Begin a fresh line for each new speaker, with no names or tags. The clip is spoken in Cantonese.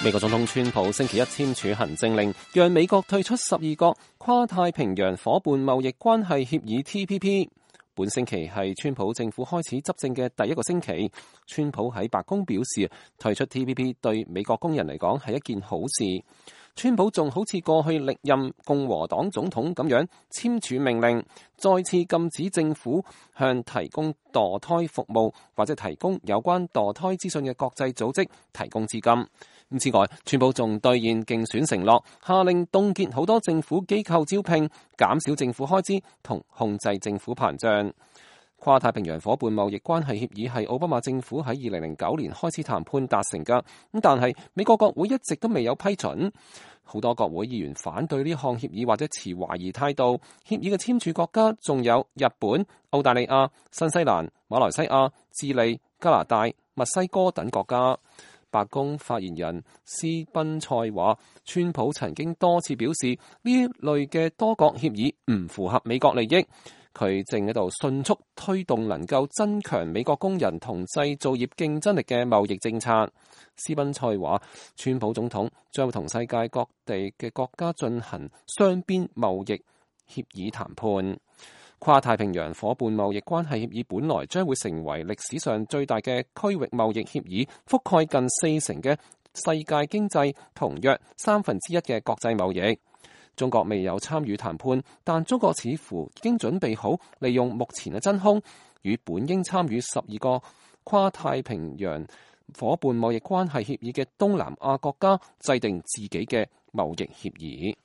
美國總統川普星期一簽署行政令，讓美國退出12個跨太平洋夥伴貿易關係協議 TPP。本星期係川普政府開始執政嘅第一個星期，川普喺白宮表示，退出 TPP 對美國工人嚟講係一件好事。川普仲好似過去歷任共和黨總統咁樣簽署命令，再次禁止政府向提供墮胎服務或者提供有關墮胎資訊嘅國際組織提供資金。此外，川普仲兌現競選承諾，下令凍結好多政府機構招聘，減少政府開支同控制政府膨脹。跨太平洋夥伴貿易關係協議係奧巴馬政府喺2009年開始談判達成㗎，但係美國國會一直都未有批准。好多國會議員反對呢項協議或者持懷疑態度。協議嘅簽署國家仲有日本、澳大利亞、新西蘭、馬來西亞、智利、加拿大、墨西哥等國家。白宮發言人斯賓塞話，川普曾經多次表示呢類嘅多國協議唔符合美國利益。佢正喺度迅速推動能夠增強美國工人同製造業競爭力嘅貿易政策。斯賓塞話，川普總統將會同世界各地嘅國家進行雙邊貿易協議談判。跨太平洋夥伴貿易關係協議本來將會成為歷史上最大嘅區域貿易協議，覆蓋近40%嘅世界經濟同約1/3嘅國際貿易。中國未有參與談判，但中國似乎已經準備好利用目前嘅真空，與本應參與12個跨太平洋夥伴貿易關係協議嘅東南亞國家制定自己嘅貿易協議。